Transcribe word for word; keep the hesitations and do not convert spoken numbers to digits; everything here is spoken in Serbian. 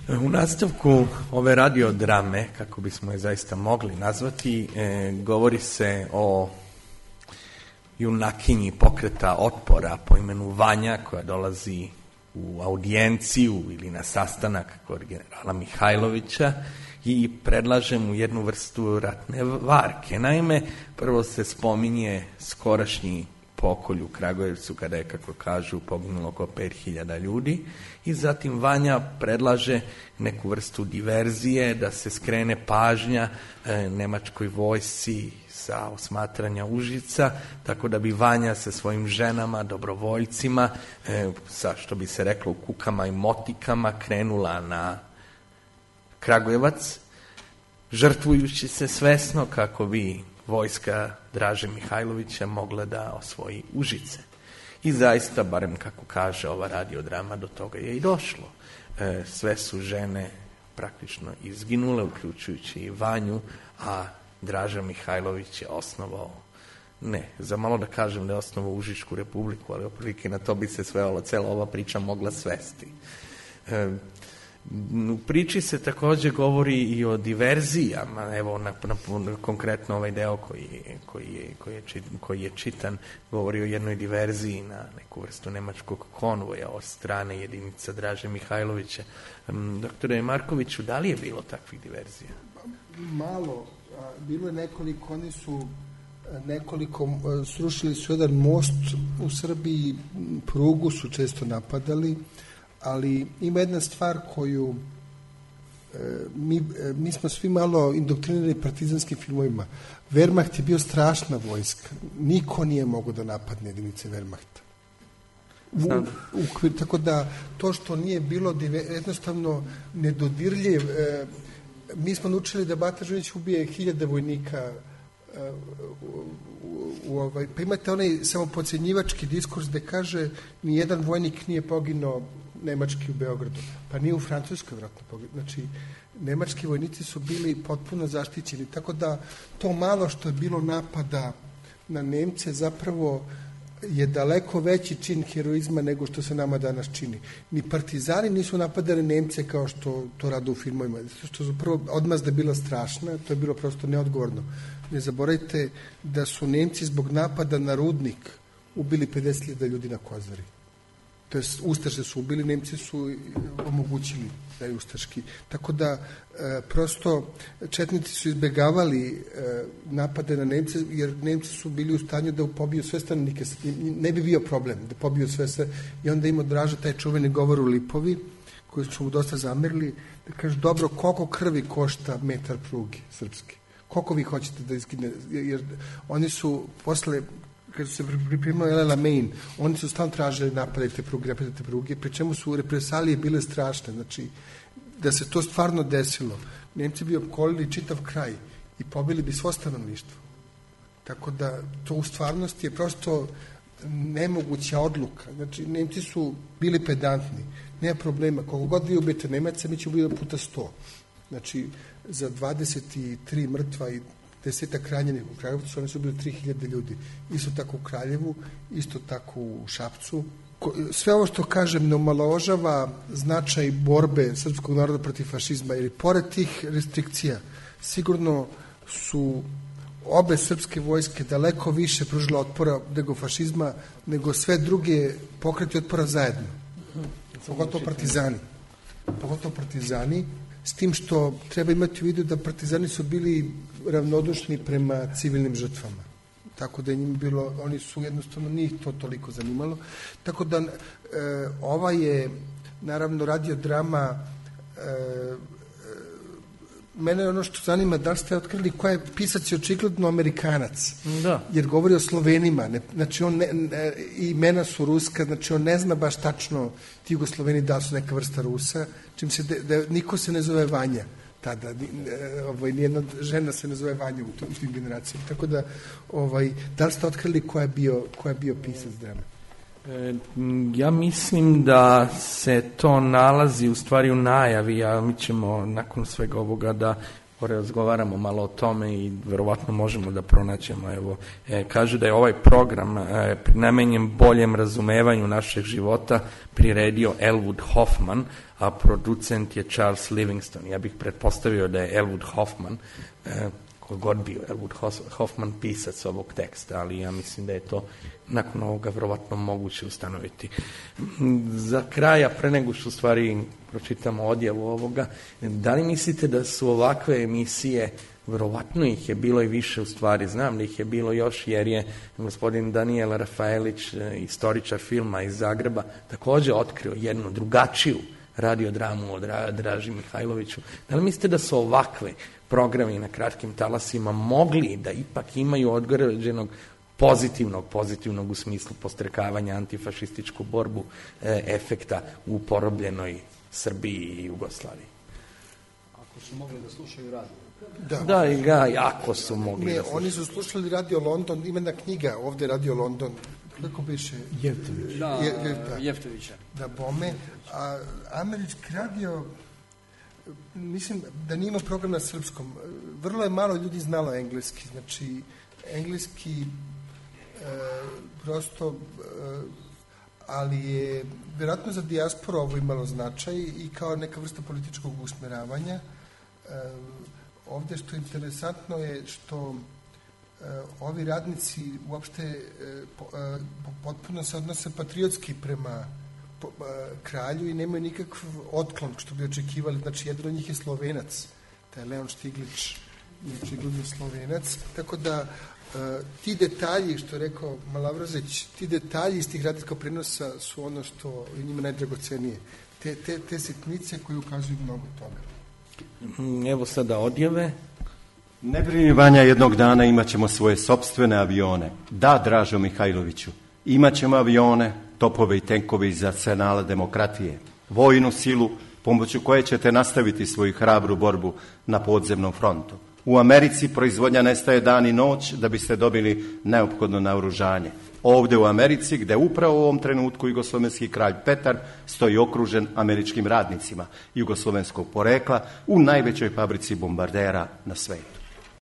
U nastavku ove radiodrame, kako bismo je zaista mogli nazvati, e, govori se o junakinji pokreta otpora po imenu Vanja, koja dolazi u audijenciju ili na sastanak kod generala Mihajlovića i predlaže mu jednu vrstu ratne varke. Naime, prvo se spominje skorašnji pokolj u Kragujevcu, kada je, kako kažu, poginulo oko pet hiljada ljudi, i zatim Vanja predlaže neku vrstu diverzije, da se skrene pažnja e, nemačkoj vojsci sa osmatranja Užica, tako da bi Vanja sa svojim ženama, dobrovoljcima, e, sa, što bi se reklo, u kukama i motikama, krenula na Kragujevac, žrtvujući se svesno kako bi vojska Draže Mihajlovića mogla da osvoji Užice. I zaista, barem kako kaže ova radiodrama, do toga je i došlo. E, sve su žene praktično izginule, uključujući i Vanju, a Draža Mihajlović je osnovao, ne, za malo da kažem da je osnovao Užičku republiku, ali oprilike na to bi se svela cela ova priča mogla svesti. E, U priči se također govori i o diverzijama, evo na, na, konkretno ovaj deo koji, koji, je, koji, je, koji je čitan govori o jednoj diverziji na neku vrstu nemačkog konvoja od strane jedinica Draže Mihajlovića. Doktore Markoviću, da li je bilo takvih diverzija? Malo, bilo je nekoliko, oni su nekoliko, srušili su jedan most u Srbiji, prugu su često napadali, ali ima jedna stvar koju e, mi, e, mi smo svi malo indoktrinirani partizanskim filmovima. Wehrmacht je bio strašna vojska. Niko nije mogao da napadne jedinice Wehrmachta. U, u, tako da to što nije bilo jednostavno nedodirljiv. E, mi smo naučili da Bata Žunić ubije hiljade vojnika. E, u, u, u ovaj, pa imate onaj samopodcenjivački diskurs gde kaže nijedan vojnik nije poginuo nemački u Beogradu, pa nije u Francuskoj vratno poginuo. Znači, nemački vojnici su bili potpuno zaštićeni, tako da to malo što je bilo napada na Nemce zapravo je daleko veći čin heroizma nego što se nama danas čini. Ni partizani nisu napadali Nemce kao što to rade u filmovima, što su prvo odmazda bila strašna, to je bilo prosto neodgovorno. Ne zaboravite da su Nemci zbog napada na Rudnik ubili pedeset hiljada ljudi na Kozari. To je, Ustaše su ubili, Nemci su omogućili da je ustaški. Tako da, e, prosto, četnici su izbegavali e, napade na Nemce, jer Nemci su bili u stanju da pobiju sve stanovnike. Ne bi bio problem da pobiju sve sve. I onda ima Draža taj čuveni govor u Lipovi, koji su mu dosta zamerili, da kaže, dobro, koliko krvi košta metar pruge srpske? Koliko vi hoćete da izgine? Jer oni su posle, kad su se pripremili El Alamein, oni su stalno tražili napadajte pruge, napadajte pruge, pri čemu su represalije bile strašne. Znači, da se to stvarno desilo, Nemci bi opkolili čitav kraj i pobili bi svo stanovništvo. Tako da, to u stvarnosti je prosto nemoguća odluka. Znači, Nemci su bili pedantni, nema problema. Koliko god vi ubijete Nemaca, mi ćemo ubiti puta sto. Znači, za dvadeset tri mrtva i desetak ranjenih u Kragujevcu, oni su bili tri hiljade ljudi. Isto tako u Kraljevu, isto tako u Šapcu. Sve ovo što kažem ne omalovažava značaj borbe srpskog naroda protiv fašizma, jer pored tih restrikcija sigurno su obe srpske vojske daleko više pružile otpora nego fašizma, nego sve druge pokreti otpora zajedno. Pogotovo partizani. Pogotovo partizani, s tim što treba imati u vidu da partizani su bili ravnodušni prema civilnim žrtvama. Tako da je njim bilo, oni su jednostavno, njih to toliko zanimalo. Tako da e, ova je, naravno, radiodrama, e, mene je ono što zanima, da li ste otkrili koja je pisac je očigledno Amerikanac, da. Jer govori o Slovenima, ne, znači on ne, ne, imena su ruska, znači on ne zna baš tačno ti Jugosloveni da su neka vrsta Rusa, čim se, de, da, niko se ne zove Vanja tada, ovaj, nijedna žena se ne zove Vanja u, u tim generacijama, tako da, ovaj, da li ste otkrili koja je bio, koja je bio pisac drame? E, ja mislim da se to nalazi u stvari u najavi, a mi ćemo nakon svega ovoga da razgovaramo malo o tome i verovatno možemo da pronaćemo. Evo, e, kaže da je ovaj program e, namenjen boljem razumevanju našeg života priredio Elwood Hoffman, a producent je Charles Livingston. Ja bih pretpostavio da je Elwood Hoffman, e, kogod bio Elwood Hoffman pisac ovog teksta, ali ja mislim da je to nakon ovoga verovatno moguće ustanoviti. Za kraja, pre nego što u stvari pročitamo odjavu ovoga, da li mislite da su ovakve emisije, verovatno ih je bilo i više u stvari, znam da ih je bilo još, jer je gospodin Daniel Rafaelić, istoričar filma iz Zagreba, takođe otkrio jednu drugačiju radiodramu od Draži Mihajloviću. Da li mislite da su ovakve programi na kratkim talasima mogli da ipak imaju određenog pozitivnog, pozitivnog u smislu postrekavanja antifašističku borbu e, efekta u porobljenoj Srbiji i Jugoslaviji? Ako su mogli da slušaju radio. Da, da i ga, jako su mogli ne, da slušaju. Oni su slušali Radio London, imena knjiga, ovde Radio London, kako biše? Jeftović. Da, je, je, da, Jeftovića. Da, bome. A američki radio, mislim da nije imao program na srpskom. Vrlo je malo ljudi znalo engleski. Znači, engleski e, prosto, e, ali je vjerojatno za dijasporu ovo imalo značaj i kao neka vrsta političkog usmeravanja. E, ovdje što je interesantno je što e, ovi radnici uopšte e, po, e, potpuno se odnose patriotski prema po, e, kralju i nemaju nikakav otklon što bi očekivali. Znači, jedan od njih je Slovenac, taj Leon Štiglić, očigledno Slovenac, tako da e, ti detalji, što je rekao Malavrazić, ti detalji iz tih radijskog prenosa su ono što je njima najdragocenije. Te, te, te sitnice koje ukazuju mnogo toga. Evo sada odjave. Ne brini, Vanja, jednog dana imat ćemo svoje sopstvene avione. Da, Dražo Mihajloviću, imat ćemo avione, topove i tenkove iz arsenala demokratije, vojnu silu pomoću koje ćete nastaviti svoju hrabru borbu na podzemnom frontu. U Americi proizvodnja nestaje dan i noć da biste dobili neophodno naoružanje. Ovde u Americi, gde upravo u ovom trenutku jugoslovenski kralj Petar stoji okružen američkim radnicima jugoslovenskog porekla u najvećoj fabrici bombardera na svetu.